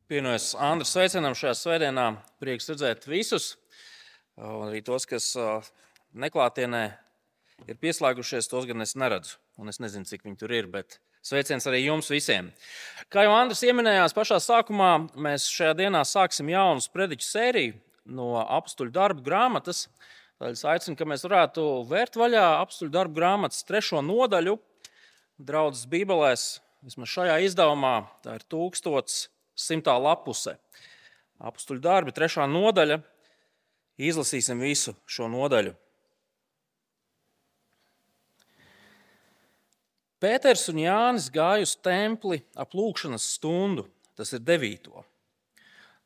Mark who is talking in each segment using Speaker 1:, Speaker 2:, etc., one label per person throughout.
Speaker 1: Pievienojos Andra sveicienam šajā svētdienā. Prieks redzēt visus, un arī tos, kas neklātienē ir pieslēgušies, tos gan es neredzu. Un es nezinu, cik viņi tur ir, bet sveiciens arī jums visiem. Kā jau Andris ieminējās pašā sākumā, mēs šajā dienā sāksim jaunu prediķu sēriju no Apstuļu darbu grāmatas. Tādēļ es aicinu, ka mēs varētu vērt vaļā Apstuļu darbu grāmatas 3. nodaļu. Draudzes bībelēs, vismaz šajā izdevumā, tā ir 1100. lapuse. Apstuļu darbi, 3. nodaļa. Izlasīsim visu šo nodaļu. Pēters un Jānis gāja uz templi ap lūgšanas stundu, tas ir 9.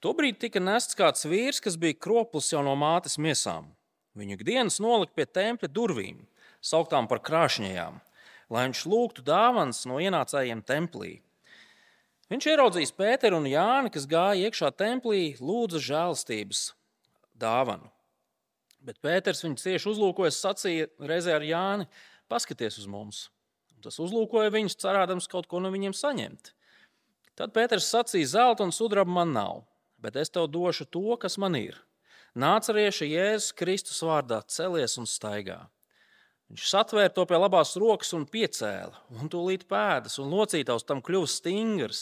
Speaker 1: Tobrīd tika nests kāds vīrs, kas bija kroplis jau no mātes miesām. Viņu ikdienas nolika pie tempļa durvīm, sauktām par krāšņajām, lai viņš lūgtu dāvanas no ienācējiem templī. Viņš ieraudzījis Pēteru un Jāni, kas gāja iekšā templī, lūdza žēlastības dāvanu. Bet Pēters viņu cieši uzlūkoja, sacīja reizē ar Jāni: paskaties uz mums. Un tas uzlūkoja viņus, cerādams kaut ko no viņiem saņemt. Tad Pēters sacīja: zelta un sudraba man nav, bet es tev došu to, kas man ir. Nācarieša Jēzus Kristus vārdā celies un staigā. Viņš satvēra to pie labās rokas un piecēla, un tūlīt pēdas, un locītavs tam kļuva stingrs.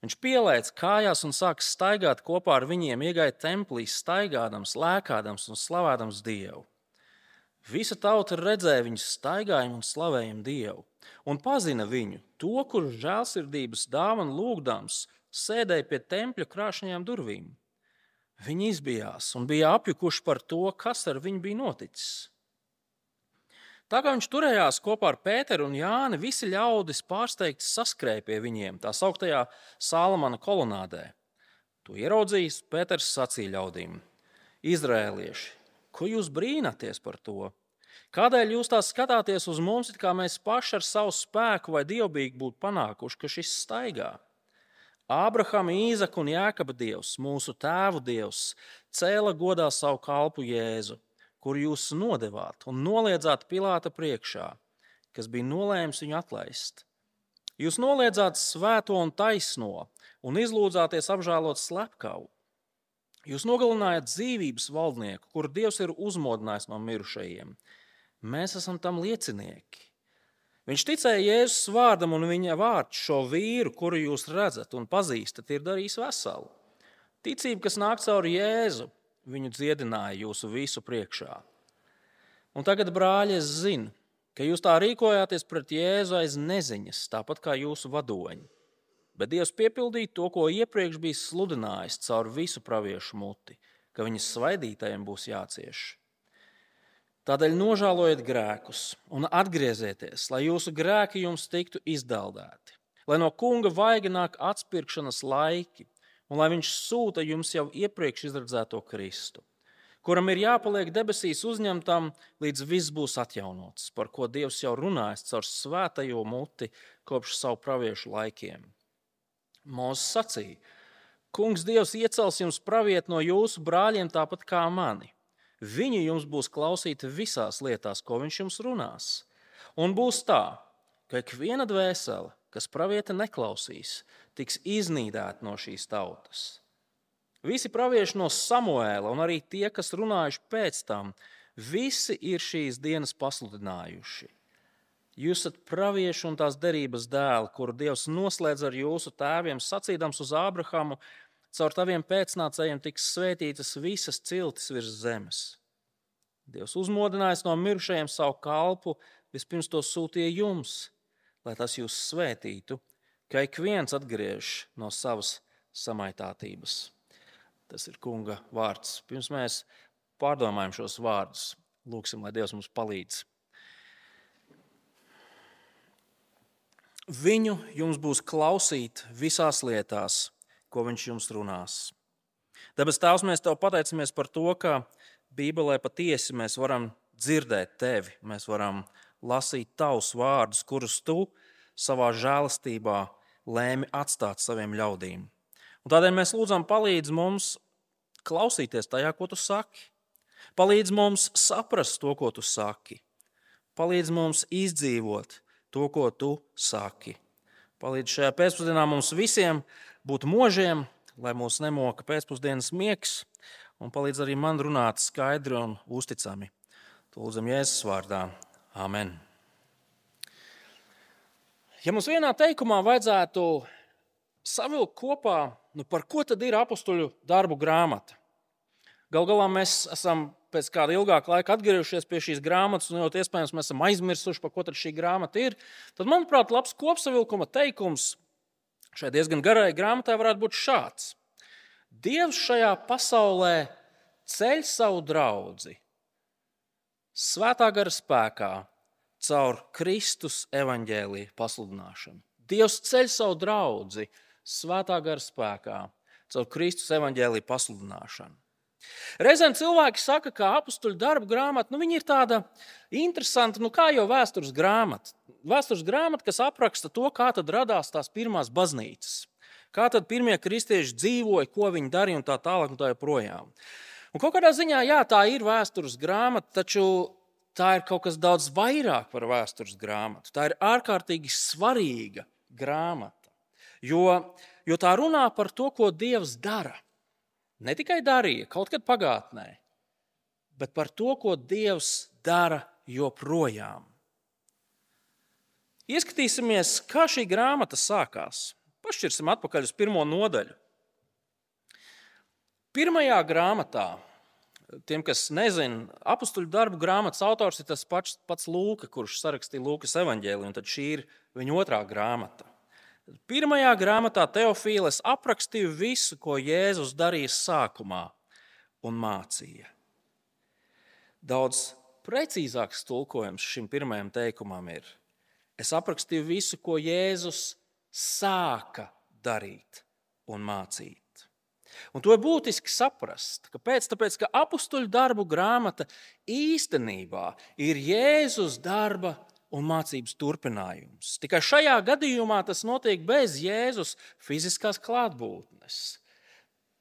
Speaker 1: Viņš pielēca kājās un sāka staigāt kopā ar viņiem, iegāja templī, staigādams, lēkādams un slavādams Dievu. Visa tauta redzēja viņu staigājumu un slavējumu Dievu, un pazina viņu, to, kurš žēlsirdības dāvanu lūgdams sēdēja pie tempļa krāšņajām durvīm. Viņi izbijās un bija apjukuši par to, kas ar viņu bija noticis. Tā kā viņš turējās kopā ar Pēteru un Jāni, visi ļaudis pārsteigti saskrēja pie viņiem, tā sauktajā Salamana kolonādē. To ieraudzījis, Pēters sacīja ļaudīm: Izraēlieši, ko jūs brīnaties par to? Kādēļ jūs tā skatāties uz mums, it kā mēs paši ar savu spēku vai dievbijīgi būtu panākuši, ka šis staigā? Ābrahama, Īzaka un Jākaba Dievs, mūsu tēvu Dievs, cēla godā savu kalpu Jēzu, kuru jūs nodevāt un noliedzāt Pilāta priekšā, kas bija nolēmis viņu atlaist. Jūs noliedzāt svēto un taisno un izlūdzāties apžēlot slepkavu. Jūs nogalinājāt dzīvības valdnieku, kuru Dievs ir uzmodinājis no mirušajiem. Mēs esam tam liecinieki. Viņš ticēja Jēzus vārdam, un viņa vārds šo vīru, kuru jūs redzat un pazīstat, ir darījis veselu. Ticība, kas nāk caur Jēzu, viņu dziedināja jūsu visu priekšā. Un tagad, brāļi, es zinu, ka jūs tā rīkojāties pret Jēzu aiz neziņas, tāpat kā jūsu vadoņi. Bet Dievs piepildīja to, ko iepriekš bija sludinājis caur visu praviešu muti, ka viņas svaidītajiem būs jācieš. Tādēļ nožēlojiet grēkus un atgriezieties, lai jūsu grēki jums tiktu izdaldēti, lai no kunga vaiga nāk atspirkšanas laiki, un lai viņš sūta jums jau iepriekš izredzēto Kristu, kuram ir jāpaliek debesīs uzņemtam, līdz viss būs atjaunots, par ko Dievs jau runājis caur svētajo muti kopš savu praviešu laikiem. Mūzes sacīja: Kungs Dievs iecels jums pravieti no jūsu brāļiem tāpat kā mani. Viņi jums būs klausīti visās lietās, ko viņš jums runās. Un būs tā, ka ikviena dvēsele, kas pravieta neklausīs, tiks iznīdēta no šīs tautas. Visi pravieši no Samuēla un arī tie, kas runājuši pēc tam, visi ir šīs dienas pasludinājuši. Jūs esat pravieši un tās derības dēli, kuru Dievs noslēdz ar jūsu tēviem, sacīdams uz Ābrahamu: caur taviem pēcnācējiem tiks svētītas visas ciltis virs zemes. Dievs uzmodinājis no mirušajiem savu kalpu, vispirms to sūtīja jums, lai tas jūs svētītu, ka ik viens atgriež no savas samaitātības. Tas ir kunga vārds. Pirms mēs pārdomājam šos vārdus, lūgsim, lai Dievs mums palīdz. Viņu jums būs klausīt visās lietās, ko viņš jums runās. Debes Tēvs, mēs tev pateicamies par to, ka Bībelē patiesi mēs varam dzirdēt tevi, mēs varam lasīt tavus vārdus, kurus tu savā žēlastībā lēmi atstāt saviem ļaudīm. Un tādēļ mēs lūdzam, palīdz mums klausīties tajā, ko tu saki. Palīdz mums saprast to, ko tu saki. Palīdz mums izdzīvot to, ko tu saki. Palīdz šajā pēcpusdienā mums visiem būt možiem, lai mūs nemoka pēcpusdienas miegs un palīdz arī man runāt skaidri un uzticami. To lūdzam Jēzus vārdā. Āmen. Ja mums vienā teikumā vajadzētu savilkt kopā, par ko tad ir apustuļu darbu grāmata? Galu galā mēs esam pēc kāda ilgāka laika atgriežušies pie šīs grāmatas, un ļoti iespējams mēs esam aizmirsuši, par ko tad šī grāmata ir. Tad, manuprāt, labs kopsavilkuma teikums šai diezgan garai grāmatai varētu būt šāds. Dievs šajā pasaulē ceļ savu draudzi Svētā gara spēkā caur Kristus evaņģēlija pasludināšanu. Dievs ceļ savu draudzi Svētā gara spēkā caur Kristus evaņģēlija pasludināšanu. Reizēm cilvēki saka, ka apustuļu darbu grāmata, viņa ir tāda interesanta, kā jau vēstures grāmata. Vēstures grāmata, kas apraksta to, kā tad radās tās pirmās baznīcas. Kā tad pirmie kristieši dzīvoja, ko viņi darīja un tā tālāk un tā joprojām. Un kaut kādā ziņā, jā, tā ir vēstures grāmata, taču tā ir kaut kas daudz vairāk par vēstures grāmatu. Tā ir ārkārtīgi svarīga grāmata, jo tā runā par to, ko Dievs dara. Ne tikai darīja kaut kad pagātnē, bet par to, ko Dievs dara joprojām. Ieskatīsimies, kā šī grāmata sākās. Pašķirsim atpakaļ uz 1. nodaļu. 1. grāmatā, tiem, kas nezina, apustuļu darbu grāmatas autors ir tas pats Lūka, kurš sarakstīja Lūkas evaņģēliju, un tad šī ir viņa 2. grāmata. 1. grāmatā Teofīles aprakstīja visu, ko Jēzus darīja sākumā un mācīja. Daudz precīzāks tulkojums šim pirmajam teikumam ir: es aprakstīju visu, ko Jēzus sāka darīt un mācīt. Un to ir būtiski saprast. Kāpēc? Tāpēc, ka apustuļu darbu grāmata īstenībā ir Jēzus darba un mācības turpinājums. Tikai šajā gadījumā tas notiek bez Jēzus fiziskās klātbūtnes.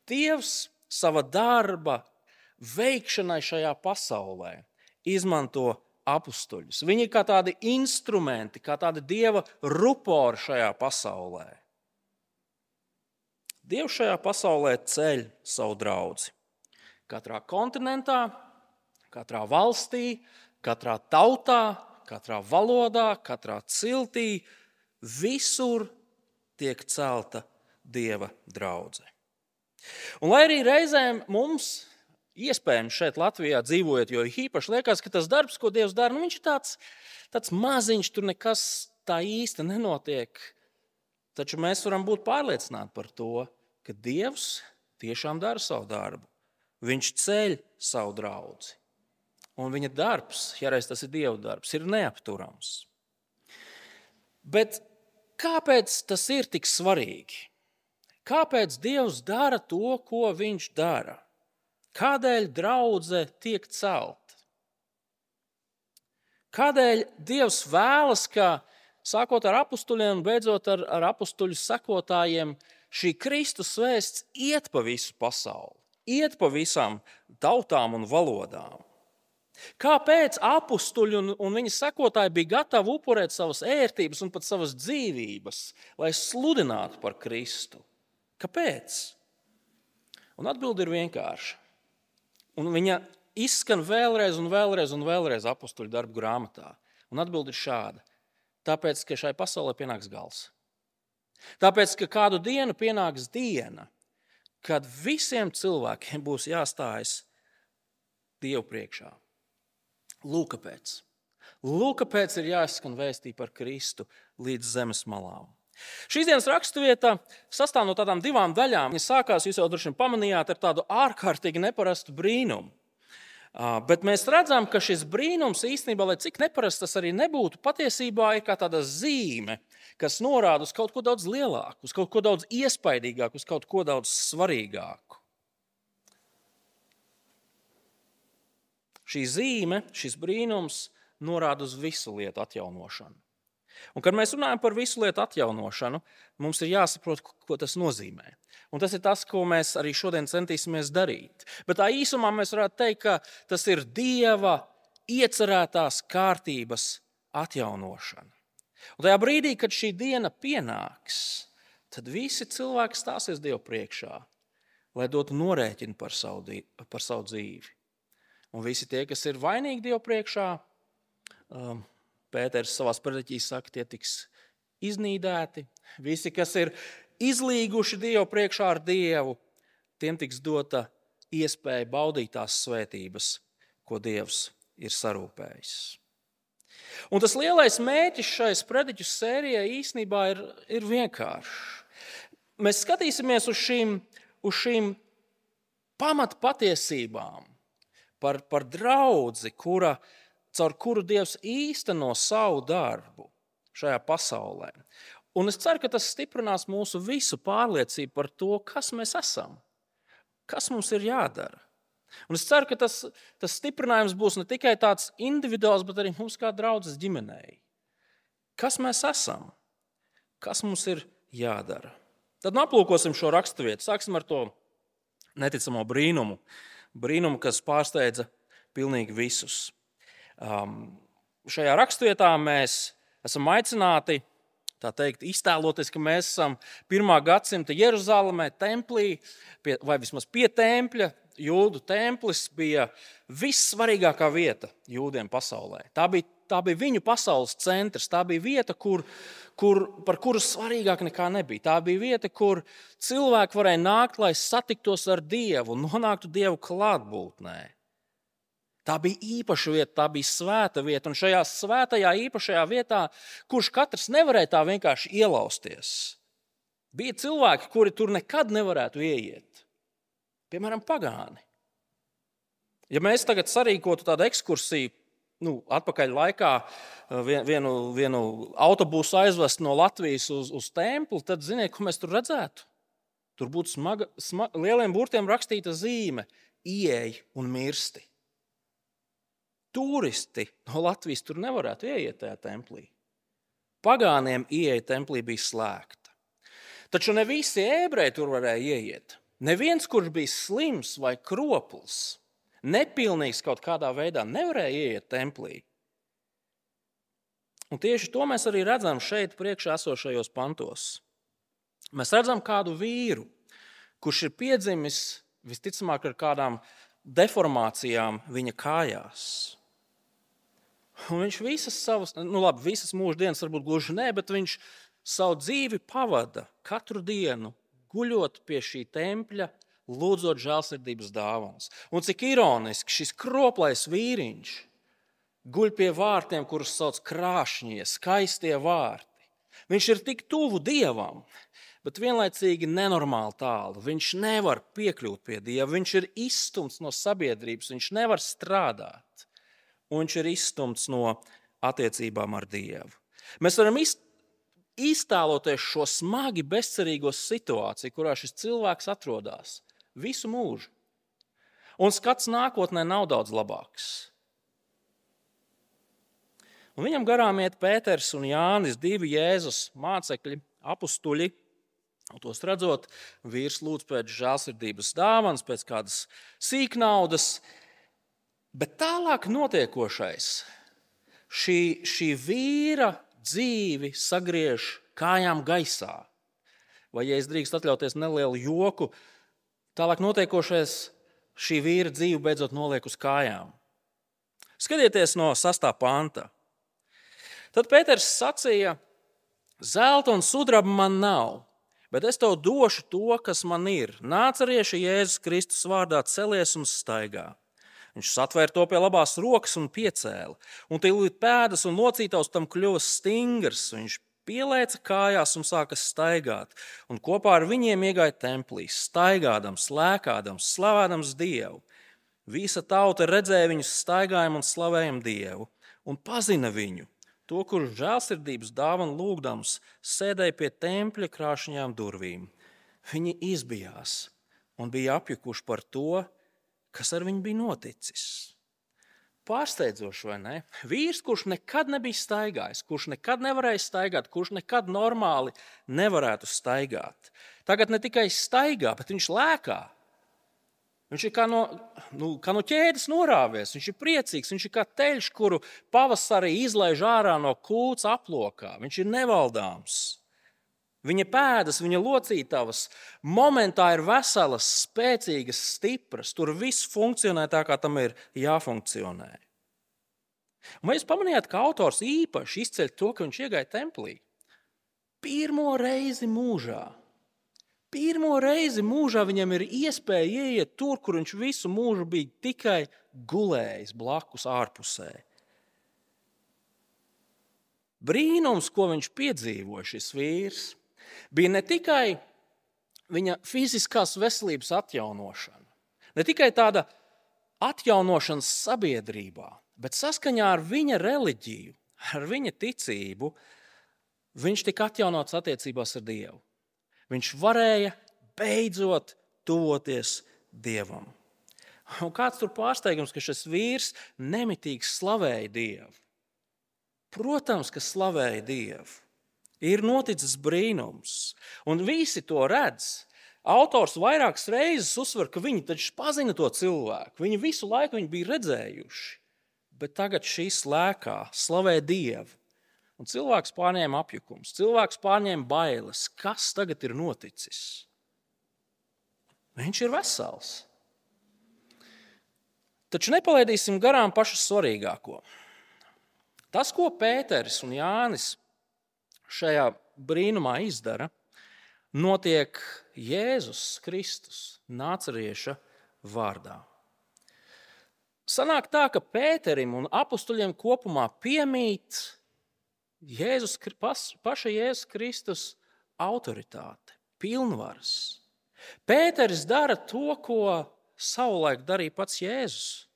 Speaker 1: Dievs sava darba veikšanai šajā pasaulē izmanto apustuļus. Viņi ir kā tādi instrumenti, kā tādi Dieva rupori šajā pasaulē. Dievs šajā pasaulē ceļ savu draudzi. Katrā kontinentā, katrā valstī, katrā tautā, katrā valodā, katrā ciltī, visur tiek celta Dieva draudze. Un lai arī reizēm mums, iespējams šeit Latvijā dzīvojot, jo īpaši liekas, ka tas darbs, ko Dievs dara, viņš ir tāds maziņš, tur nekas tā īsti nenotiek. Taču mēs varam būt pārliecināti par to, ka Dievs tiešām dara savu darbu. Viņš ceļ savu draudzi. Un viņa darbs, ja reiz tas ir Dieva darbs, ir neapturams. Bet kāpēc tas ir tik svarīgi? Kāpēc Dievs dara to, ko viņš dara? Kādēļ draudze tiek celta? Kādēļ Dievs vēlas, ka sākot ar apustuļiem un beidzot ar apustuļu sekotājiem, šī Kristus vēsts iet pa visu pasauli, iet pa visām tautām un valodām? Kāpēc apustuļi un viņa sekotāji bija gatavi upurēt savas ērtības un pat savas dzīvības, lai sludinātu par Kristu? Kāpēc? Un atbilde ir vienkārša. Un viņa izskan vēlreiz un vēlreiz un vēlreiz apustuļu darbu grāmatā. Un atbilde ir šāda. Tāpēc, ka šai pasaulē pienāks gals. Tāpēc, ka kādu dienu pienāks diena, kad visiem cilvēkiem būs jāstājas Dievu priekšā. Lūk, kāpēc. Lūk, kāpēc ir jāizskan vēstī par Kristu līdz zemes malām. Šīs dienas raksturvieta sastāv no tādām 2 daļām. Viņa sākās, jūs jau droši vien pamanījāt, ar tādu ārkārtīgi neparastu brīnumu. Bet mēs redzam, ka šis brīnums īstenībā, lai cik neparasts tas arī nebūtu, patiesībā ir kā tāda zīme, kas norāda uz kaut ko daudz lielāku, uz kaut ko daudz iespaidīgāku, uz kaut ko daudz svarīgāku. Šī zīme, šis brīnums norāda uz visu lietu atjaunošanu. Un, kad mēs runājam par visu lietu atjaunošanu, mums ir jāsaprot, ko tas nozīmē. Un tas ir tas, ko mēs arī šodien centīsimies darīt. Bet tā īsumā mēs varētu teikt, ka tas ir Dieva iecerētās kārtības atjaunošana. Un tajā brīdī, kad šī diena pienāks, tad visi cilvēki stāsies Dievu priekšā, lai dotu norēķinu par savu dzīvi. Un visi tie, kas ir vainīgi Dievu priekšā, Pēters savās prediķīs saka, tie tiks iznīdēti. Visi, kas ir izlīguši Dievu priekšā ar Dievu, tiem tiks dota iespēja baudīt tās svētības, ko Dievs ir sarūpējis. Un tas lielais mērķis šais prediķu sērijai īstenībā ir vienkāršs. Mēs skatīsimies uz šīm pamatpatiesībām par draudzi, caur kuru Dievs īsteno savu darbu šajā pasaulē. Un es ceru, ka tas stiprinās mūsu visu pārliecību par to, kas mēs esam, kas mums ir jādara. Un es ceru, ka tas stiprinājums būs ne tikai tāds individuāls, bet arī mums kā draudzes ģimenei. Kas mēs esam? Kas mums ir jādara? Tad aplūkosim šo raksturvietu. Sāksim ar to neticamo brīnumu. Brīnumu, kas pārsteidza pilnīgi visus. Šajā raksturvietā mēs esam aicināti, tā teikt, iztēloties, ka mēs esam 1. gadsimta Jeruzalemē, templī, vai vismaz pie tempļa. Jūdu templis bija vissvarīgākā vieta jūdiem pasaulē. Tā bija viņu pasaules centrs. Tā bija vieta, par kuru svarīgāk nekā nebija. Tā bija vieta, kur cilvēki varēja nākt, lai satiktos ar Dievu un nonāktu Dievu klātbūtnē. Tā bija īpaša vieta, tā bija svēta vieta. Un šajā svētajā īpašajā vietā, kurš katrs nevarēja tā vienkārši ielausties, bija cilvēki, kuri tur nekad nevarētu ieiet. Piemēram, pagāni. Ja mēs tagad sarīkotu tādu ekskursiju, atpakaļ laikā vienu autobusu aizvest no Latvijas uz templi, tad ziniet, ko mēs tur redzētu? Tur būtu lieliem burtiem rakstīta zīme – ieej un mirsti. Turisti no Latvijas tur nevarētu ieiet tajā templī. Pagāniem ieeja templī bija slēgta. Taču ne visi ebreji tur varēja ieiet. Neviens, kurš bija slims vai kropls, nepilnīgs kaut kādā veidā, nevarēja ieiet templī. Un tieši to mēs arī redzam šeit priekšā esošajos pantos. Mēs redzam kādu vīru, kurš ir piedzimis visticamāk ar kādām deformācijām viņa kājās. Un viņš visas mūždienas varbūt gluži ne, bet viņš savu dzīvi pavada katru dienu, guļot pie šī tempļa, lūdzot žēlsirdības dāvanas. Un cik ironiski šis kroplais vīriņš guļ pie vārtiem, kurus sauc krāšņie, skaistie vārti. Viņš ir tik tuvu Dievam, bet vienlaicīgi nenormāli tālu. Viņš nevar piekļūt pie Dieva, viņš ir izstumts no sabiedrības, viņš nevar strādāt. Un viņš ir izstumts no attiecībām ar Dievu. Mēs varam iztēloties šo smagi bezcerīgo situāciju, kurā šis cilvēks atrodas visu mūžu. Un skats nākotnē nav daudz labāks. Un viņam garām iet Pēters un Jānis, 2 Jēzus mācekļi, apustuļi. Un tos redzot, vīrs lūdz pēc žēlsirdības dāvanas, pēc kādas sīknaudas. Bet tālāk notiekošais, šī vīra dzīvi sagriež kājām gaisā. Vai, ja es drīkst atļauties nelielu joku, tālāk notiekošais šī vīra dzīvi beidzot noliek uz kājām. Skatieties no 6. panta. Tad Pēters sacīja, zelta un sudraba man nav, bet es tev došu to, kas man ir. Nācerieša Jēzus Kristus vārdā celies un staigā. Viņš satvēra to pie labās rokas un piecēla, un tūlīt pēdas un locītavs tam kļuva stingrs. Viņš pielēca kājās un sāka staigāt, un kopā ar viņiem iegāja templī, staigādams, lēkādams, slavādams Dievu. Visa tauta redzēja viņu staigājumu un slavējam Dievu, un pazina viņu, to, kurš žēlsirdības dāvanu lūgdams sēdēja pie tempļa krāšņām durvīm. Viņi izbijās un bija apjukuši par to, kas ar viņu bija noticis. Pārsteidzoši, vai ne? Vīrs, kurš nekad nebija staigājis, kurš nekad nevarēja staigāt, kurš nekad normāli nevarētu staigāt. Tagad ne tikai staigā, bet viņš lēkā. Viņš ir kā no ķēdes norāvies, viņš ir priecīgs, viņš ir kā teļš, kuru pavasarī izlaiž ārā no kūts aplokā. Viņš ir nevaldāms. Viņa pēdas, viņa locītavas momentā ir veselas, spēcīgas, stipras. Tur viss funkcionē tā, kā tam ir jāfunkcionē. Un vai jūs pamanījāt, ka autors īpaši izceļ to, ka viņš iegāja templī? Pirmo reizi mūžā viņam ir iespēja ieiet tur, kur viņš visu mūžu bija tikai gulējis blakus ārpusē. Brīnums, ko viņš piedzīvoja, šis vīrs, bija ne tikai viņa fiziskās veselības atjaunošana, ne tikai tāda atjaunošana sabiedrībā, bet saskaņā ar viņa reliģiju, ar viņa ticību, viņš tika atjaunots attiecībās ar Dievu. Viņš varēja beidzot tuvoties Dievam. Un kāds tur pārsteigums, ka šis vīrs nemitīgi slavēja Dievu. Protams, ka slavēja Dievu. Ir noticis brīnums, un visi to redz. Autors vairākas reizes uzsver, ka viņi taču pazina to cilvēku. Viņi visu laiku viņu bija redzējuši, bet tagad šīs lēkā slavē Dievu. Un cilvēks pārņēma apjukums, cilvēks pārņēma bailes. Kas tagad ir noticis? Viņš ir vesels. Taču nepalaidīsim garām pašu svarīgāko. Tas, ko Pēteris un Jānis šajā brīnumā izdara, notiek Jēzus Kristus Nācarieša vārdā. Sanāk tā, ka Pēterim un apustuļiem kopumā piemīt paša Jēzus Kristus autoritāte, pilnvaras. Pēteris dara to, ko savulaik darīja pats Jēzus.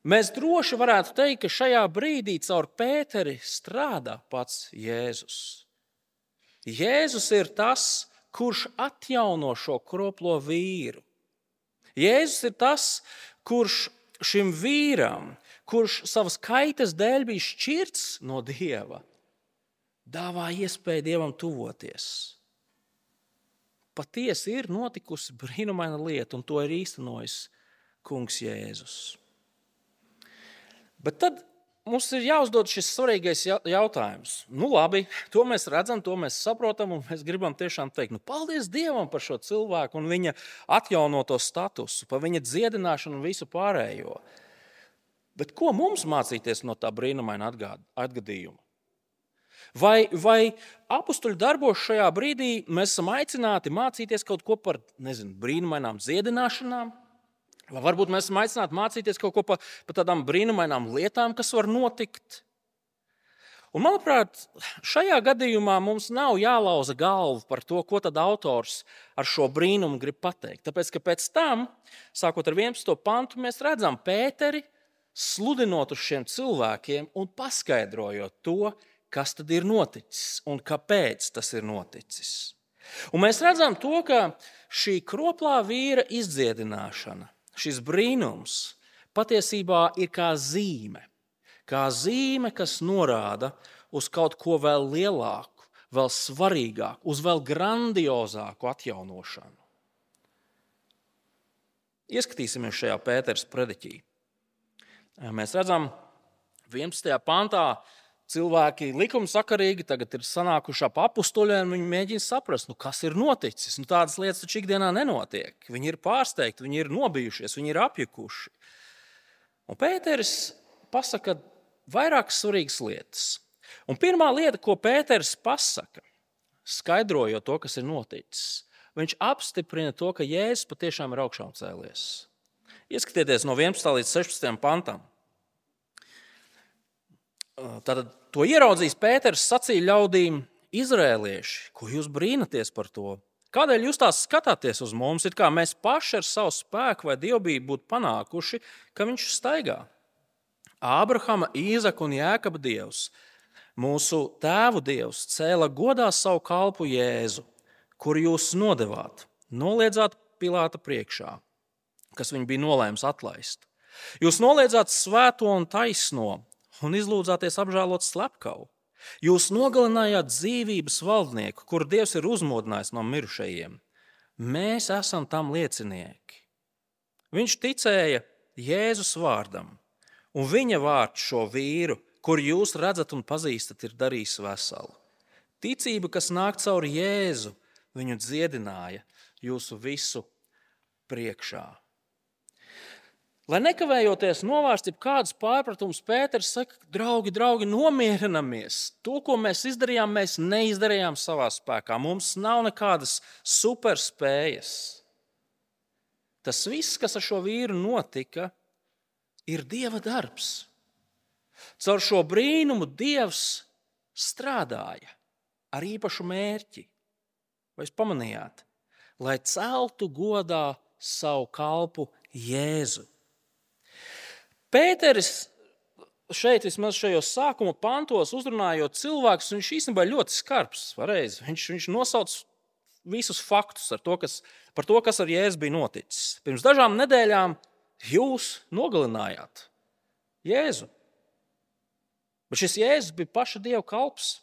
Speaker 1: Mēs droši varētu teikt, ka šajā brīdī caur Pēteri strādā pats Jēzus. Jēzus ir tas, kurš atjauno šo kroplo vīru. Jēzus ir tas, kurš šim vīram, kurš savas kaitas dēļ bija šķirts no Dieva, dāvā iespēju Dievam tuvoties. Patiesi ir notikusi brīnumaina lieta, un to ir īstenojis kungs Jēzus. Bet tad mums ir jāuzdod šis svarīgais jautājums. Nu labi, to mēs redzam, to mēs saprotam, un mēs gribam tiešām teikt, paldies Dievam par šo cilvēku un viņa atjaunoto statusu, par viņa dziedināšanu un visu pārējo. Bet ko mums mācīties no tā brīnumaina atgadījuma? Vai apustuļu darbos šajā brīdī mēs esam aicināti mācīties kaut ko par, brīnumainām dziedināšanām? Vai varbūt mēs esam aicināti mācīties kaut ko par tādām brīnumainām lietām, kas var notikt? Un, manuprāt, šajā gadījumā mums nav jālauza galvu par to, ko tad autors ar šo brīnumu grib pateikt. Tāpēc, ka pēc tam, sākot ar 11. pantu, mēs redzam Pēteri sludinot uz šiem cilvēkiem un paskaidrojot to, kas tad ir noticis un kāpēc tas ir noticis. Un mēs redzam to, ka šī kroplā vīra izdziedināšana, šis brīnums patiesībā ir kā zīme, kas norāda uz kaut ko vēl lielāku, vēl svarīgāku, uz vēl grandiozāku atjaunošanu. Ieskatīsimies šajā Pēteras prediķī. Mēs redzam, 11. pantā cilvēki likumsakarīgi tagad ir sanākuši ap apustuļiem, viņi mēģina saprast, kas ir noticis. Tādas lietas taču ikdienā nenotiek. Viņi ir pārsteigti, viņi ir nobijušies, viņi ir apjukuši. Un Pēteris pasaka vairākas svarīgas lietas. Un pirmā lieta, ko Pēteris pasaka, skaidrojot to, kas ir noticis, viņš apstiprina to, ka Jēzus patiešām ir augšām cēlies. Ieskatieties no 11. līdz 16. pantam. Tātad to ieraudzījis Pēters, sacīja ļaudīm: Izrēlieši, ko jūs brīnaties par to? Kādēļ jūs tās skatāties uz mums, it kā mēs paši ar savu spēku vai dievbijību būtu panākuši, ka viņš staigā? Ābrahama, Īzaka un Jēkaba Dievs, mūsu tēvu Dievs, cēla godā savu kalpu Jēzu, kuru jūs nodevāt, noliedzāt Pilāta priekšā, kas viņu bija nolēms atlaist. Jūs noliedzāt svēto un taisno un izlūdzāties apžēlot slepkavu. Jūs nogalinājāt dzīvības valdnieku, kuru Dievs ir uzmodinājis no mirušajiem. Mēs esam tam liecinieki. Viņš ticēja Jēzus vārdam, un viņa vārds šo vīru, kuru jūs redzat un pazīstat, ir darījis veselu. Ticība, kas nāk caur Jēzu, viņu dziedināja jūsu visu priekšā. Lai nekavējoties novērst jebkādus pārpratumus, Pēters saka, draugi, nomierinamies. To, ko mēs izdarījām, mēs neizdarījām savā spēkā. Mums nav nekādas superspējas. Tas viss, kas ar šo vīru notika, ir Dieva darbs. Caur šo brīnumu Dievs strādāja ar īpašu mērķi. Vai jūs pamanījāt? Lai celtu godā savu kalpu Jēzu. Pēteris šeit, vismaz šajos sākuma pantos, uzrunājot cilvēkus, viņš īstenībā ļoti skarbs. Viņš nosauc visus faktus par to, kas ar Jēzu bija noticis. Pirms dažām nedēļām jūs nogalinājāt Jēzu. Bet šis Jēzus bija paša Dieva kalps.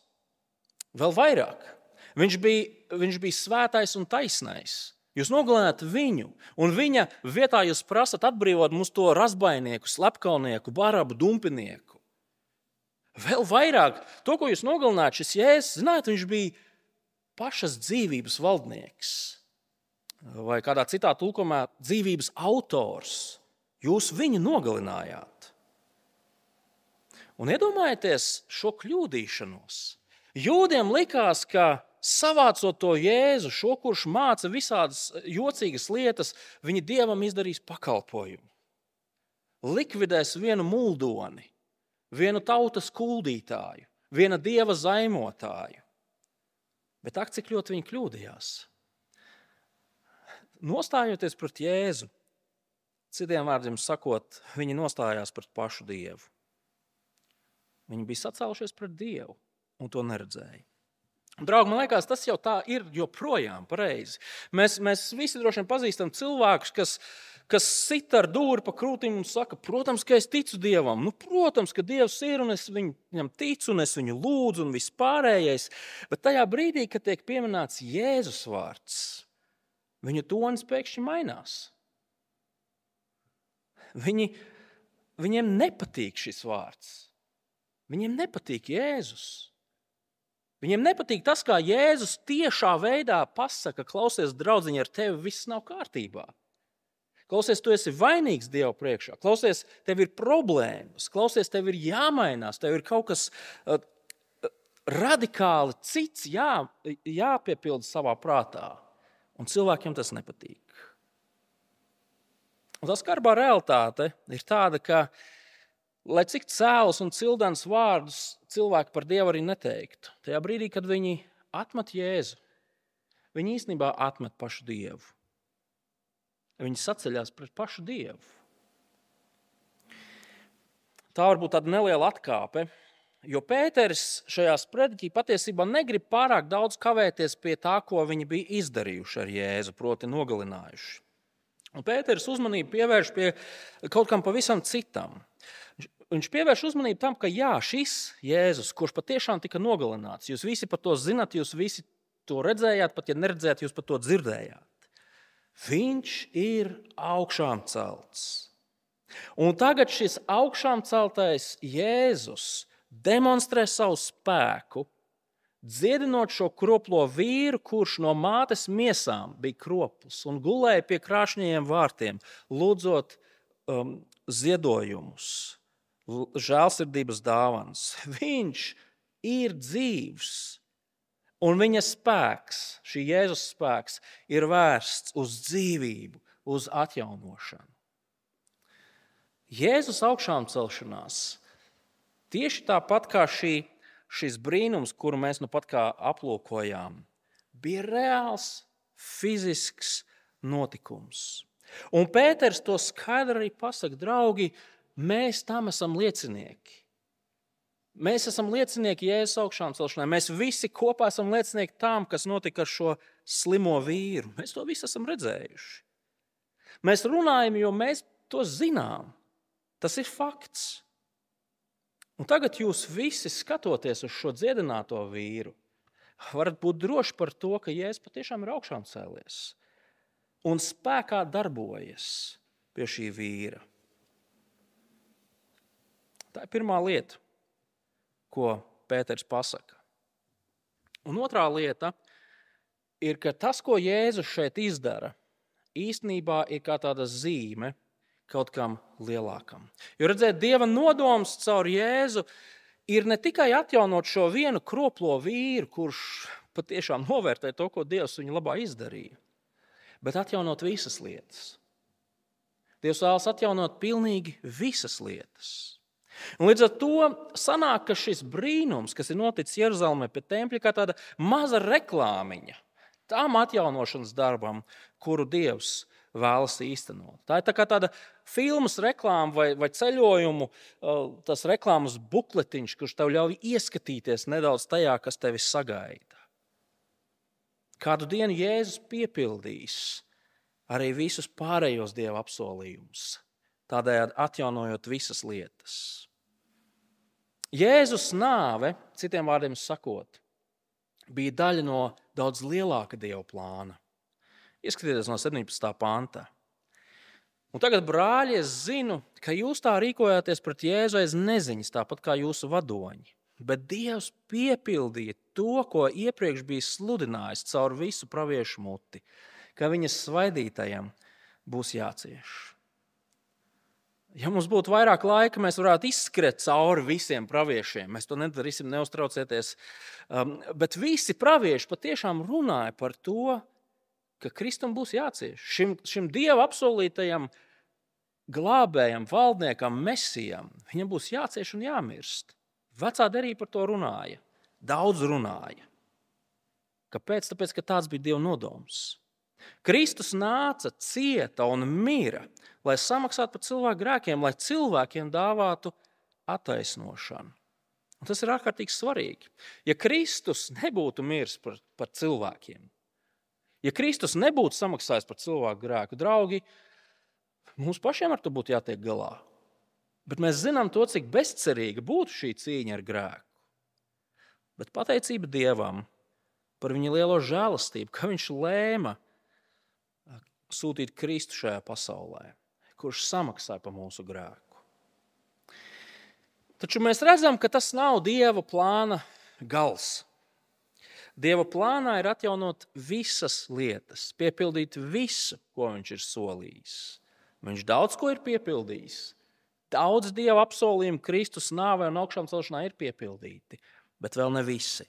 Speaker 1: Vēl vairāk. Viņš bija svētais un taisnais. Jūs nogalināt viņu, un viņa vietā jūs prasat atbrīvot mums to razbainieku, slepkaunieku, barabu, dumpinieku. Vēl vairāk, to, ko jūs nogalināt, šis Jēzus, zināt, viņš bija pašas dzīvības valdnieks. Vai kādā citā tulkumā dzīvības autors. Jūs viņu nogalinājāt. Un iedomājieties šo kļūdīšanos. Jūdiem likās, ka savācot to Jēzu, šo, kurš māca visādas jocīgas lietas, viņi Dievam izdarīs pakalpojumu. Likvidēs vienu muldoni, vienu tautas kuldītāju, viena Dieva zaimotāju. Bet ak, cik ļoti viņi kļūdījās. Nostājoties pret Jēzu, citiem vārdiem sakot, viņi nostājās pret pašu Dievu. Viņi bija sacēlušies pret Dievu un to neredzēja. Draugi, man liekas, tas jau tā ir joprojām pareizi. Mēs visi droši vien pazīstam cilvēkus, kas sit ar dūri pa krūtīm un saka, protams, ka es ticu Dievam. Protams, ka Dievs ir un es viņam ticu un es viņu lūdzu un viss pārējais. Bet tajā brīdī, kad tiek pieminēts Jēzus vārds, viņa tonis pēkšņi mainās. Viņiem nepatīk šis vārds. Viņiem nepatīk Jēzus. Viņiem nepatīk tas, kā Jēzus tiešā veidā pasaka, klausies, draudziņi, ar tevi viss nav kārtībā. Klausies, tu esi vainīgs Dieva priekšā. Klausies, tev ir problēmas. Klausies, tev ir jāmainās. Tev ir kaut kas radikāli cits jāpiepilda savā prātā. Un cilvēkiem tas nepatīk. Un tā skarbā realitāte ir tāda, ka lai cik cēlus un cildens vārdus cilvēki par Dievu arī neteiktu, tajā brīdī, kad viņi atmet Jēzu, viņi īstenībā atmet pašu Dievu. Viņi saceļās pret pašu Dievu. Tā varbūt tāda neliela atkāpe, jo Pēteris šajā sprediķī patiesībā negrib pārāk daudz kavēties pie tā, ko viņi bija izdarījuši ar Jēzu, proti nogalinājuši. Un Pēteris uzmanību pievērš pie kaut kam pavisam citam. Viņš pievērš uzmanību tam, ka šis Jēzus, kurš patiešām tika nogalināts, jūs visi par to zinat, jūs visi to redzējāt, pat ja neredzējāt, jūs par to dzirdējāt. Viņš ir augšām celts. Un tagad šis augšām celtais Jēzus demonstrē savu spēku, dziedinot šo kroplo vīru, kurš no mātes miesām bija kropls un gulēja pie krāšņajiem vārtiem, lūdzot ziedojumus, žēlsirdības dāvanas. Viņš ir dzīvs, un viņa spēks, šī Jēzus spēks, ir vērsts uz dzīvību, uz atjaunošanu. Jēzus augšām celšanās, tieši tāpat kā šis brīnums, kuru mēs nu pat kā aplūkojām, bija reāls, fizisks notikums. Un Pēters to skaidri arī pasaka, draugi, mēs tam esam liecinieki. Mēs esam liecinieki Jēzus augšām celšanai. Mēs visi kopā esam liecinieki tam, kas notika ar šo slimo vīru. Mēs to visu esam redzējuši. Mēs runājam, jo mēs to zinām. Tas ir fakts. Un tagad jūs visi skatoties uz šo dziedināto vīru, varat būt droši par to, ka Jēzus patiešām ir augšām cēlies un spēkā darbojas pie šī vīra. Tā ir pirmā lieta, ko Pēters pasaka. Un otrā lieta ir, ka tas, ko Jēzus šeit izdara, īstenībā ir kā tāda zīme kaut kam lielākam. Jo redzēt, Dieva nodoms caur Jēzu ir ne tikai atjaunot šo vienu kroplo vīru, kurš patiešām novērtē to, ko Dievs viņa labā izdarīja, bet atjaunot visas lietas. Dievs vēlas atjaunot pilnīgi visas lietas. Un līdz ar to sanāk, ka šis brīnums, kas ir noticis Jeruzalemē pie tempļa, kā tāda maza reklāmiņa tām atjaunošanas darbam, kuru Dievs vēlas īstenot. Tā ir tā kā tāda filmas reklāma vai ceļojumu, tas reklāmas bukletiņš, kurš tev ļauj ieskatīties nedaudz tajā, kas tevi sagaida. Kādu dienu Jēzus piepildīs arī visus pārējos Dieva apsolījumus, tādējādi atjaunojot visas lietas. Jēzus nāve, citiem vārdiem sakot, bija daļa no daudz lielāka Dieva plāna. Ieskatieties no 17. panta. Un tagad, brāļi, es zinu, ka jūs tā rīkojāties pret Jēzu aiz neziņas, tāpat kā jūsu vadoņi. Bet Dievs piepildīja to, ko iepriekš bija sludinājis caur visu praviešu muti, ka viņas svaidītajam būs jācieš. Ja mums būtu vairāk laika, mēs varētu izskriet cauri visiem praviešiem. Mēs to nedarīsim, neuztraucieties. Bet visi pravieši patiešām runāja par to, ka Kristum būs jācieš. Šim Dieva apsolītajam glābējam, valdniekam, mesijam, viņam būs jācieš un jāmirst. Vecā derība par to runāja. Daudz runāja. Kāpēc? Tāpēc, ka tāds bija Dieva nodoms. Kristus nāca, cieta un mira, lai samaksātu par cilvēku grēkiem, lai cilvēkiem dāvātu attaisnošanu. Un tas ir ārkārtīgi svarīgi. Ja Kristus nebūtu miris par cilvēkiem, ja Kristus nebūtu samaksājis par cilvēku grēku, draugi, mums pašiem ar to būtu jātiek galā. Bet mēs zinām to, cik bezcerīga būtu šī cīņa ar grēku. Bet pateicība Dievam par viņa lielo žēlastību, ka viņš lēma sūtīt Kristu šajā pasaulē, kurš samaksāja par mūsu grēku. Taču mēs redzam, ka tas nav Dieva plāna gals. Dieva plānā ir atjaunot visas lietas, piepildīt visu, ko viņš ir solījis. Viņš daudz ko ir piepildījis. Daudz Dieva apsolījumu Kristus nāvē un augšām celšanā ir piepildīti, bet vēl ne visi.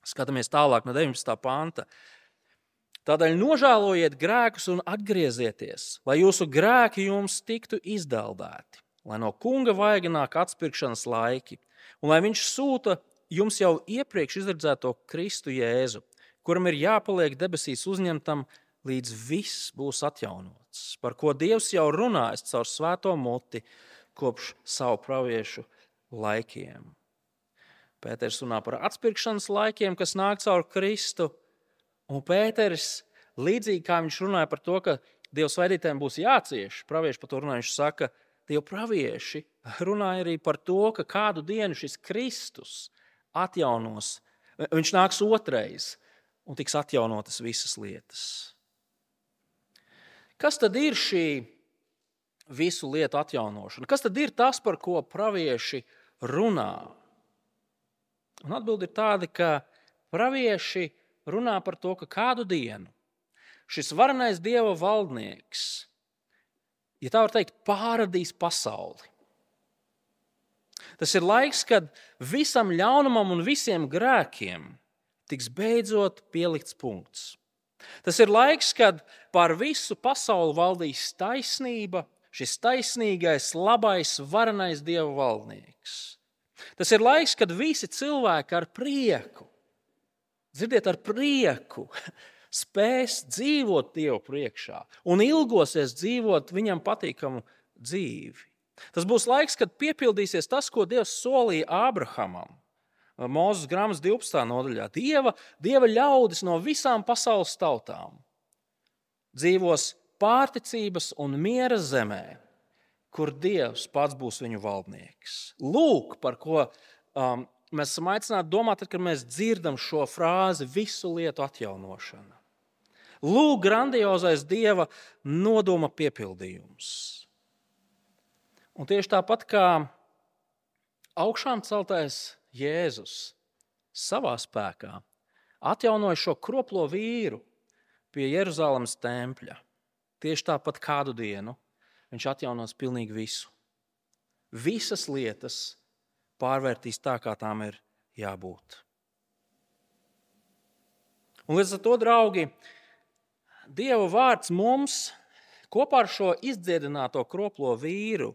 Speaker 1: Skatāmies tālāk no 19. panta. Tādēļ nožēlojiet grēkus un atgriezieties, lai jūsu grēki jums tiktu izdeldēti, lai no kunga vaiga nāk atpirkšanas laiki, un lai viņš sūta jums jau iepriekš izredzēto Kristu Jēzu, kuram ir jāpaliek debesīs uzņemtam, līdz viss būs atjaunots, par ko Dievs jau runājis caur svēto muti kopš savu praviešu laikiem. Pēters runā par atpirkšanas laikiem, kas nāk caur Kristu, un Pēteris, līdzīgi kā viņš runāja par to, ka Dieva svaidītājiem būs jācieš, pravieši par to runāja, viņš saka, Dieva pravieši runāja arī par to, ka kādu dienu šis Kristus atjaunos, viņš nāks otrais un tiks atjaunotas visas lietas. Kas tad ir šī visu lietu atjaunošana? Kas tad ir tas, par ko pravieši runā? Un atbilde ir tāda, ka pravieši runā par to, ka kādu dienu šis varenais Dieva valdnieks, ja tā var teikt, pārradīs pasauli. Tas ir laiks, kad visam ļaunumam un visiem grēkiem tiks beidzot pielikts punkts. Tas ir laiks, kad pār visu pasauli valdīs taisnība, šis taisnīgais, labais, varenais Dieva valdnieks. Tas ir laiks, kad visi cilvēki ar prieku, dzirdiet, ar prieku, spēs dzīvot Dievu priekšā un ilgosies dzīvot viņam patīkamu dzīvi. Tas būs laiks, kad piepildīsies tas, ko Dievs solīja Ābrahamam. Mūzes grāmatas 12. nodaļā. Dieva ļaudis no visām pasaules tautām dzīvos pārticības un miera zemē, kur Dievs pats būs viņu valdnieks. Lūk, par ko mēs esam aicināti domāt, tad, kad mēs dzirdam šo frāzi visu lietu atjaunošana. Lūk, grandiozais Dieva nodoma piepildījums. Un tieši tāpat kā augšām celtais Jēzus savā spēkā atjaunoja šo kroplo vīru pie Jeruzalemes tempļa. Tieši tāpat kādu dienu viņš atjaunos pilnīgi visu. Visas lietas pārvērtīs tā, kā tām ir jābūt. Un līdz ar to, draugi, Dieva vārds mums kopā ar šo izdziedināto kroplo vīru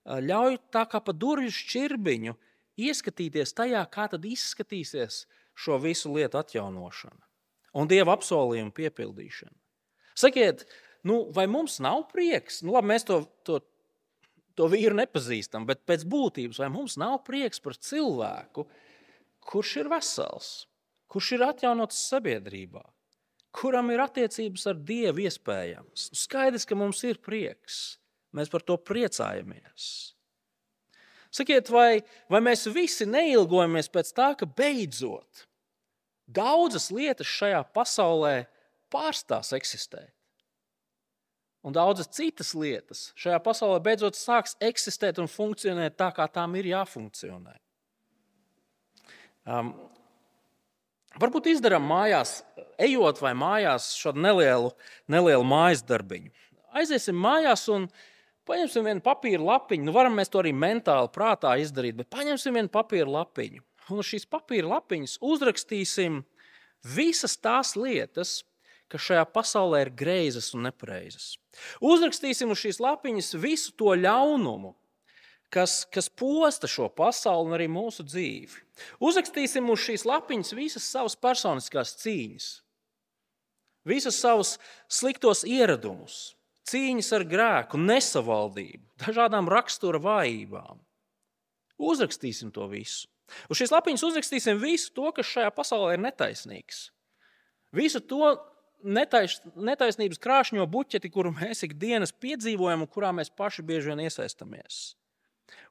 Speaker 1: ļauj tā kā pa durvju šķirbiņu ieskatīties tajā, kā tad izskatīsies šo visu lietu atjaunošana un Dieva apsolījumu piepildīšana. Sakiet, vai mums nav prieks? Labi, mēs to vīru nepazīstam, bet pēc būtības vai mums nav prieks par cilvēku, kurš ir vesels, kurš ir atjaunots sabiedrībā, kuram ir attiecības ar Dievu iespējams? Skaidrs, ka mums ir prieks. Mēs par to priecājamies. Sakiet, vai mēs visi neilgojamies pēc tā, ka beidzot daudzas lietas šajā pasaulē pārstās eksistēt? Un daudzas citas lietas šajā pasaulē beidzot sāks eksistēt un funkcionēt tā, kā tām ir jāfunkcionē. Varbūt izdarām mājās, ejot vai mājās šādu nelielu mājas darbiņu. Aiziesim mājās un paņemsim vienu papīra lapiņu. Varam mēs to arī mentāli prātā izdarīt, bet paņemsim vienu papīra lapiņu. Un uz šīs papīra lapiņas uzrakstīsim visas tās lietas, kas šajā pasaulē ir greizas un nepareizas. Uzrakstīsim uz šīs lapiņas visu to ļaunumu, kas posta šo pasauli un arī mūsu dzīvi. Uzrakstīsim uz šīs lapiņas visas savas personiskās cīņas, visas savus sliktos ieradumus, cīņas ar grēku, nesavaldību, dažādām rakstura vājībām. Uzrakstīsim to visu. Uz šīs lapiņas uzrakstīsim visu to, kas šajā pasaulē ir netaisnīgs. Visu to netaisnības krāšņo buķeti, kuru mēs ikdienas piedzīvojam un kurā mēs paši bieži vien iesaistamies.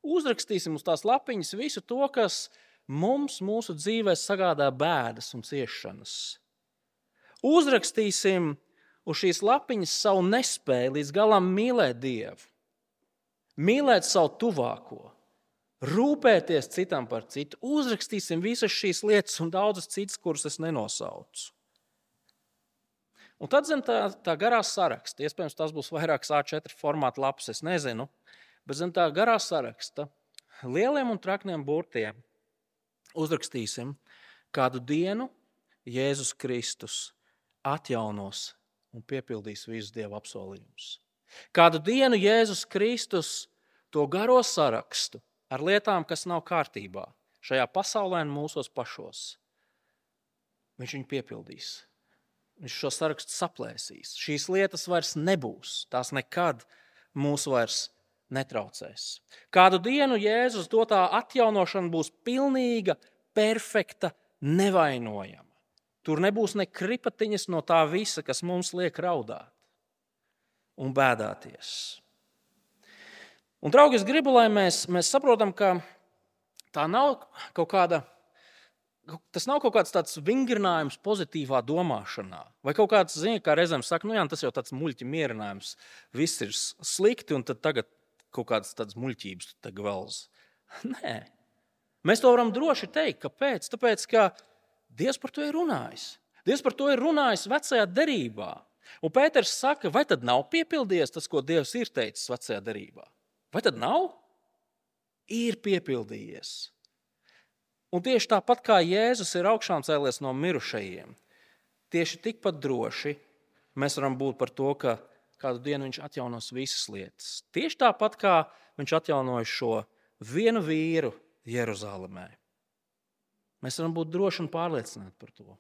Speaker 1: Uzrakstīsim uz tās lapiņas visu to, kas mums mūsu dzīvē sagādā bēdas un ciešanas. Uzrakstīsim uz šīs lapiņas savu nespēju līdz galam mīlēt Dievu, mīlēt savu tuvāko, rūpēties citam par citu. Uzrakstīsim visas šīs lietas un daudzas citas, kuras es nenosaucu. Un tad zem tā garā saraksta, iespējams, tas būs vairākas A4 formāta lapas, es nezinu, bet zem tā garā saraksta lieliem un trakniem burtiem uzrakstīsim, kādu dienu Jēzus Kristus atjaunos un piepildīs visus Dieva apsolījumus. Kādu dienu Jēzus Kristus to garo sarakstu ar lietām, kas nav kārtībā šajā pasaulē un mūsos pašos, viņš viņu piepildīs. Viņš šo sarakstu saplēsīs. Šīs lietas vairs nebūs. Tās nekad mūs vairs netraucēs. Kādu dienu Jēzus dotā atjaunošana būs pilnīga, perfekta, nevainojama. Tur nebūs ne kripatiņas no tā visa, kas mums liek raudāt un bēdāties. Un, draugi, es gribu, lai mēs saprotam, ka tā nav tas nav kaut kāds tāds vingrinājums pozitīvā domāšanā. Vai kaut kāds, kā reizēm saka, tas jau tāds muļķi mierinājums. Viss ir slikti un tad tagad kaut kādas tādas muļķības tagad velz. Nē. Mēs to varam droši teikt. Kāpēc? Tāpēc, ka Dievs par to ir runājis. Dievs par to ir runājis vecajā derībā. Un Pēters saka, vai tad nav piepildījies tas, ko Dievs ir teicis vecajā derībā? Vai tad nav? Ir piepildījies. Un tieši tāpat kā Jēzus ir augšām cēlies no mirušajiem, tieši tikpat droši mēs varam būt par to, ka kādu dienu viņš atjaunos visas lietas. Tieši tāpat kā viņš atjaunoja šo vienu vīru Jeruzalemē. Mēs varam būt droši un pārliecināti par to.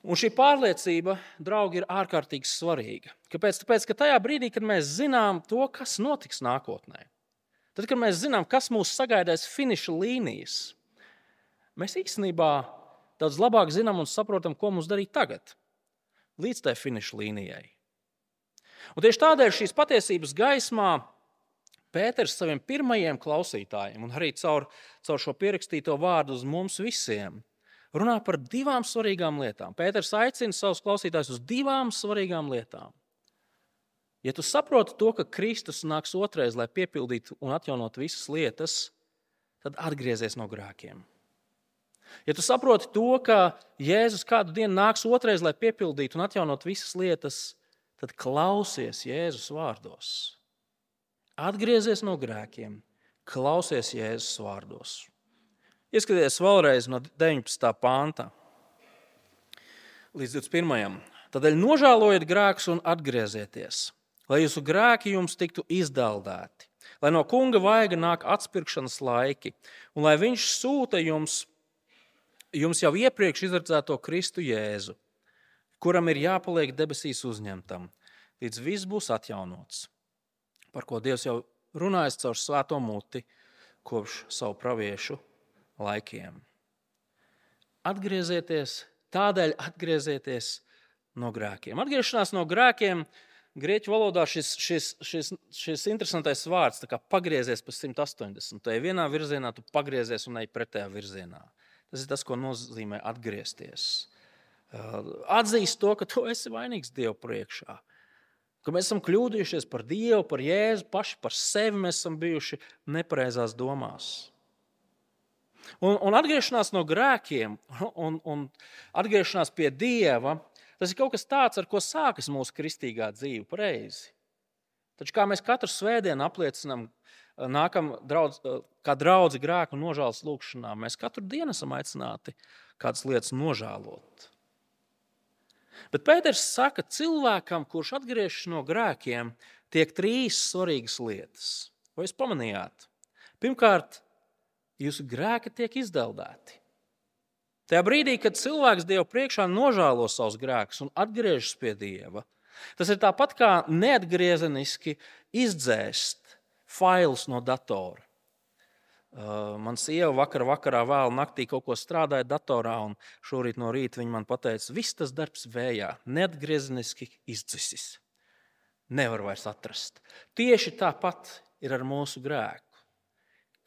Speaker 1: Un šī pārliecība, draugi, ir ārkārtīgi svarīga. Kāpēc? Tāpēc, ka tajā brīdī, kad mēs zinām to, kas notiks nākotnē, tad, kad mēs zinām, kas mūs sagaidās finiša līnijas, mēs īstenībā daudz labāk zinām un saprotam, ko mums darīt tagad, līdz tai finiša līnijai. Un tieši tādēļ šīs patiesības gaismā Pēters saviem pirmajiem klausītājiem un arī caur šo pierakstīto vārdu uz mums visiem runā par divām svarīgām lietām. Pēters aicina savus klausītājus uz divām svarīgām lietām. Ja tu saproti to, ka Kristus nāks otrais, lai piepildītu un atjaunot visas lietas, tad atgriezies no grēkiem. Ja tu saproti to, ka Jēzus kādu dienu nāks otrais, lai piepildītu un atjaunot visas lietas, tad klausies Jēzus vārdos. Atgriezies no grēkiem, klausies Jēzus vārdos. Ieskaties vēlreiz no 19. pānta līdz 21. Tādēļ nožēlojiet grēkus un atgriezieties, lai jūsu grēki jums tiktu izdaldēti, lai no kunga vaiga nāk atspirkšanas laiki, un lai viņš sūta jums jau iepriekš izredzēto Kristu Jēzu, kuram ir jāpaliek debesīs uzņemtam, līdz viss būs atjaunots, par ko Dievs jau runājis caur svēto muti kopš savu praviešu laikiem. Tādēļ atgriezieties no grēkiem. Atgriešanās no grēkiem grieķu valodā šis interesantais vārds, tā kā pagriezies pa 180. Tu ej vienā virzienā, tu pagriezies un ej pretējā virzienā. Tas ir tas, ko nozīmē atgriezties. Atzīst to, ka tu esi vainīgs Dievu priekšā. Ka mēs esam kļūdījušies par Dievu, par Jēzu, paši par sevi mēs esam bijuši nepareizās domās. Un atgriešanās no grēkiem un atgriešanās pie Dieva, tas ir kaut kas tāds, ar ko sākas mūsu kristīgā dzīve pareizi. Taču kā mēs katru svētdienu apliecinām, nākam kā draudzi grēku un nožēlas lūgšanā, mēs katru dienu esam aicināti kādas lietas nožēlot. Bet Pēters saka, cilvēkam, kurš atgriežas no grēkiem, tiek 3 svarīgas lietas. Vai jūs pamanījāt? Pirmkārt, jūsu grēki tiek izdaldēti. Tajā brīdī, kad cilvēks Dievu priekšā nožēlo savus grēkus un atgriežas pie Dieva, tas ir tāpat kā neatgriezeniski izdzēst failus no datora. Man sieva vakarā vēl naktī kaut ko strādāja datorā, un šorīt no rīta viņa man pateica, viss tas darbs vējā, neatgriezeniski izdzisis. Nevar vairs atrast. Tieši tāpat ir ar mūsu grēku.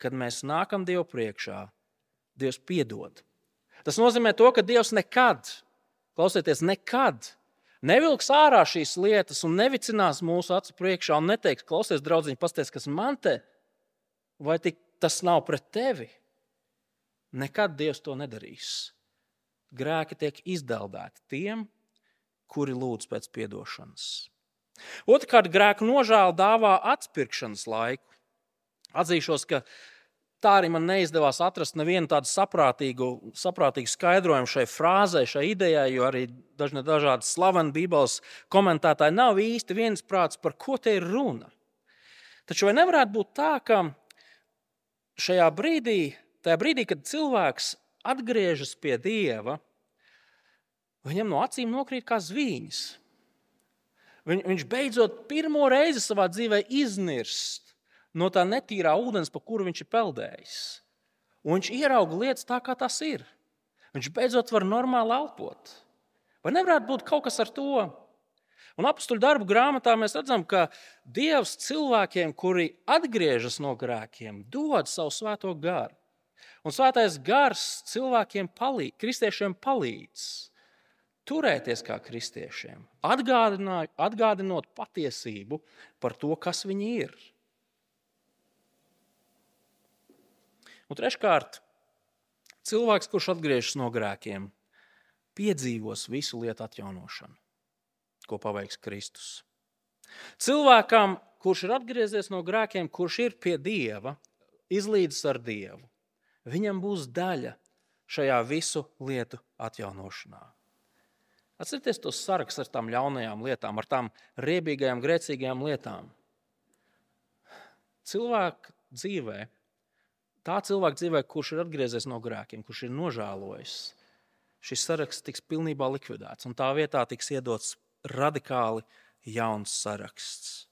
Speaker 1: Kad mēs nākam Dievu priekšā, Dievs piedod. Tas nozīmē to, ka Dievs nekad nevilks ārā šīs lietas un nevicinās mūsu acu priekšā un neteiks, klausies, draudziņ, pasties, kas man te, vai tik tas nav pret tevi. Nekad Dievs to nedarīs. Grēki tiek izdaldēti tiem, kuri lūdz pēc piedošanas. Otrkārt, grēku nožēla dāvā atpirkšanas laiku. Atzīšos, ka tā arī man neizdevās atrast nevienu tādu saprātīgu skaidrojumu šai frāzei, šai idejai, jo arī dažādi slaveni Bībeles komentētāji nav īsti viensprāts, par ko te ir runa. Taču vai nevarētu būt tā, ka tajā brīdī, kad cilvēks atgriežas pie Dieva, viņam no acīm nokrīt kā zvīņas. Viņš beidzot pirmo reizi savā dzīvē iznirst no tā netīrā ūdens, pa kuru viņš ir peldējis. Un viņš ierauga lietas tā, kā tas ir. Viņš beidzot var normāli elpot. Vai nevarētu būt kaut kas ar to? Un Apostuļu darbu grāmatā mēs redzam, ka Dievs cilvēkiem, kuri atgriežas no grēkiem, dod savu svēto garu. Un svētais gars cilvēkiem kristiešiem palīdz turēties kā kristiešiem, atgādinot patiesību par to, kas viņi ir. Un treškārt, cilvēks, kurš atgriežas no grēkiem, piedzīvos visu lietu atjaunošanu, ko paveiks Kristus. Cilvēkam, kurš ir atgriezies no grēkiem, kurš ir pie Dieva, izlīdzis ar Dievu, viņam būs daļa šajā visu lietu atjaunošanā. Atcerieties tos saraksts ar tām ļaunajām lietām, ar tām riebīgajām, grēcīgajām lietām. Tā cilvēka dzīvē, kurš ir atgriezies no grēkiem, kurš ir nožēlojis, šis saraksts tiks pilnībā likvidēts, un tā vietā tiks iedots radikāli jauns saraksts.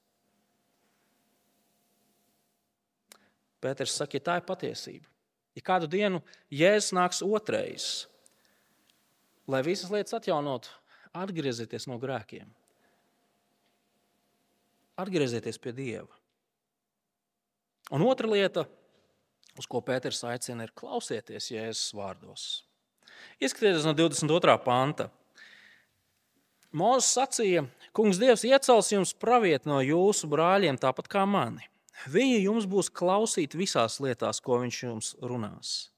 Speaker 1: Pēters saka, ja tā ir patiesība, ja kādu dienu Jēzus nāks otrais, lai visas lietas atjaunotu, atgriezieties no grēkiem. Atgriezieties pie Dieva. Un otra lieta, uz ko Pēters aicina, ir klausieties Jēzus vārdos. Ieskatieties no 22. panta. Mūzes sacīja, kungs Dievs iecels jums pravieti no jūsu brāļiem, tāpat kā mani. Viņi jums būs klausīt visās lietās, ko viņš jums runās.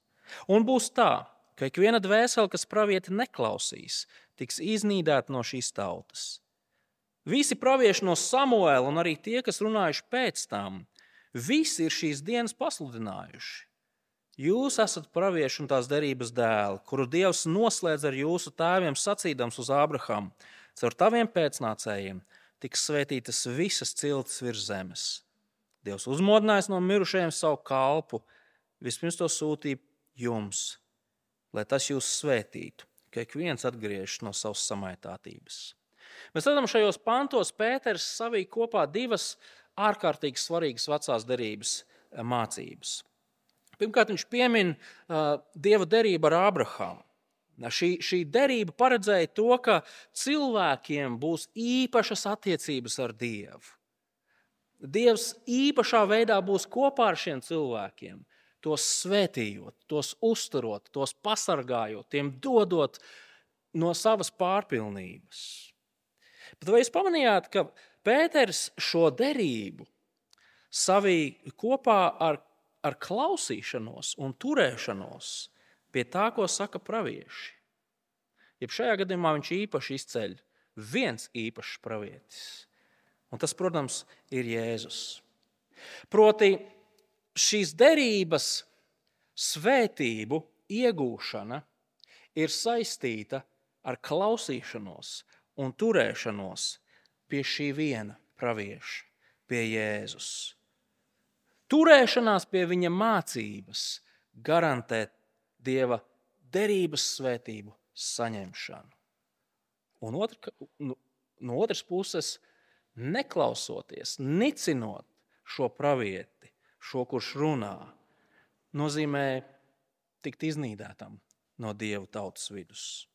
Speaker 1: Un būs tā, ka ikviena dvēsele, kas pravieti neklausīs, tiks iznīdēta no šīs tautas. Visi pravieši no Samuēla un arī tie, kas runājuši pēc tam, visi ir šīs dienas pasludinājuši. Jūs esat pravieši un tās derības dēli, kuru Dievs noslēdz ar jūsu tēviem sacīdams uz Ābrahamu. Caur taviem pēcnācējiem tiks svētītas visas ciltis virs zemes. Dievs uzmodinājis no mirušajiem savu kalpu, vispirms to sūtīja jums, lai tas jūs svētītu, ka ik viens atgriežas no savas samaitātības. Mēs redzam, šajos pantos Pēters savīja kopā divas ārkārtīgi svarīgas vecās derības mācības. Pirmkārt, viņš piemin Dieva derību ar Ābrahamu. Šī derība paredzēja to, ka cilvēkiem būs īpašas attiecības ar Dievu. Dievs īpašā veidā būs kopā ar šiem cilvēkiem, tos svētījot, tos uzturot, tos pasargājot, tiem dodot no savas pārpilnības. Bet vai jūs pamanījāt, ka Pēters šo derību savīja kopā ar klausīšanos un turēšanos pie tā, ko saka pravieši? Jeb šajā gadījumā viņš īpaši izceļ viens īpašs pravietis. Un tas, protams, ir Jēzus. Proti, šīs derības svētību iegūšana ir saistīta ar klausīšanos un turēšanos pie šī viena pravieša, pie Jēzus. Turēšanās pie viņa mācības garantē Dieva derības svētību saņemšanu. Un no otras puses, neklausoties, nicinot šo pravieti, šo, kurš runā, nozīmē tikt iznīdētam no Dieva tautas vidus.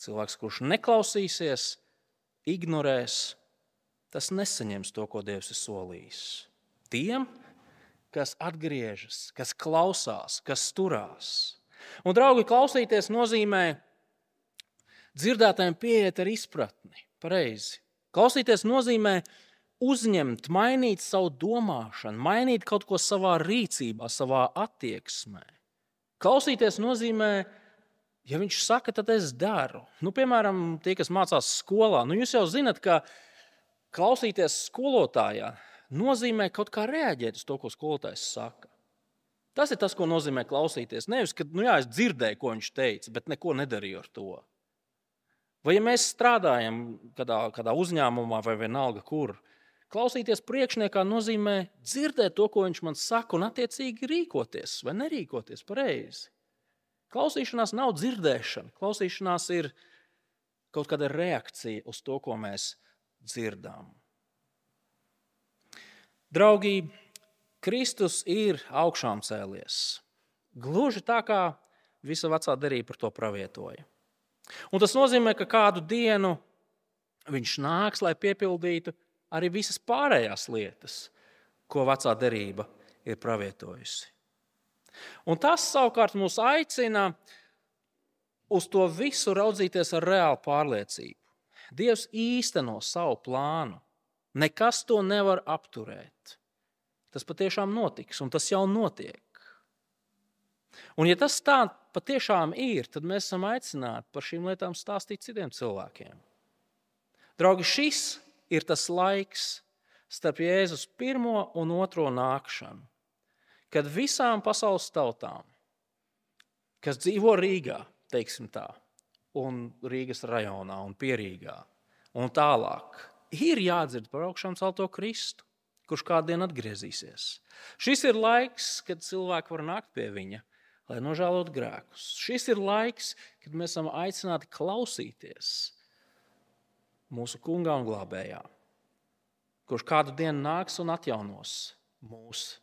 Speaker 1: Cilvēks, kurš neklausīsies, ignorēs, tas nesaņems to, ko Dievs ir solījis. Tiem, kas atgriežas, kas klausās, kas turās. Un, draugi, klausīties nozīmē dzirdētājiem pieiet ar izpratni, pareizi. Klausīties nozīmē uzņemt, mainīt savu domāšanu, mainīt kaut ko savā rīcībā, savā attieksmē. Klausīties nozīmē, ja viņš saka, tad es daru. Piemēram, tie, kas mācās skolā, jūs jau zinat, ka klausīties skolotājā nozīmē kaut kā reaģēt uz to, ko skolotājs saka. Tas ir tas, ko nozīmē klausīties. Nevis, ka es dzirdēju, ko viņš teica, bet neko nedarīju ar to. Vai ja mēs strādājam kādā uzņēmumā vai vienalga kur, klausīties priekšniekā nozīmē dzirdēt to, ko viņš man saka, un attiecīgi rīkoties vai nerīkoties pareizi. Klausīšanās nav dzirdēšana. Klausīšanās ir kaut kāda reakcija uz to, ko mēs dzirdām. Draugi, Kristus ir augšām cēlies. Gluži tā, kā visa vecā derība par to pravietoja. Un tas nozīmē, ka kādu dienu viņš nāks, lai piepildītu arī visas pārējās lietas, ko vecā derība ir pravietojusi. Un tas savukārt mūs aicina uz to visu raudzīties ar reālu pārliecību. Dievs īsteno savu plānu. Nekas to nevar apturēt. Tas patiešām notiks, un tas jau notiek. Un ja tas tā patiešām ir, tad mēs esam aicināti par šīm lietām stāstīt citiem cilvēkiem. Draugi, šis ir tas laiks starp Jēzus pirmo un otro nākšanu, kad visām pasaules tautām, kas dzīvo Rīgā, teiksim tā, un Rīgas rajonā un Pierīgā un tālāk, ir jādzird par augšām celto Kristu, kurš kādien atgriezīsies. Šis ir laiks, kad cilvēki var nākt pie viņa, lai nožēlotu grēkus. Šis ir laiks, kad mēs esam aicināti klausīties mūsu kungā un glābējā, kurš kādu dienu nāks un atjaunos mūsu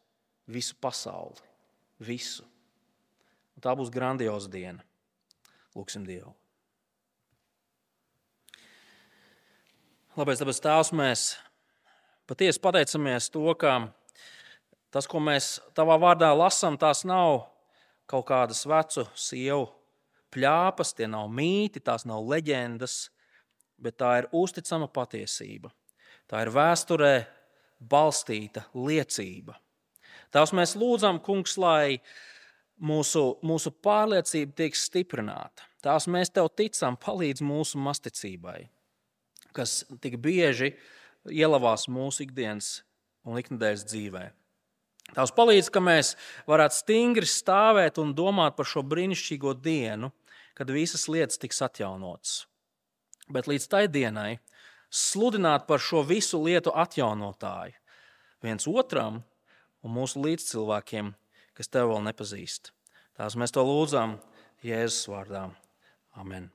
Speaker 1: visu pasauli, visu. Un tā būs grandioza diena. Lūksim Dievu. Labais dabas Tēvs, mēs patiesi pateicamies to, ka tas, ko mēs tavā vārdā lasām, tās nav kaut kādas vecu sievu pļāpas, tie nav mīti, tās nav leģendas, bet tā ir uzticama patiesība. Tā ir vēsturē balstīta liecība. Tās mēs lūdzam, kungs, lai mūsu pārliecība tiek stiprināta. Tās mēs tev ticam, palīdz mūsu masticībai, kas tik bieži ielavās mūsu ikdienas un iknedēļas dzīvē. Tās palīdz, ka mēs varētu stingri stāvēt un domāt par šo brīnišķīgo dienu, kad visas lietas tiks atjaunotas. Bet līdz tai dienai sludināt par šo visu lietu atjaunotāju viens otram un mūsu līdzcilvēkiem, kas tev vēl nepazīst. Tās mēs to lūdzam Jēzus vārdā. Amen.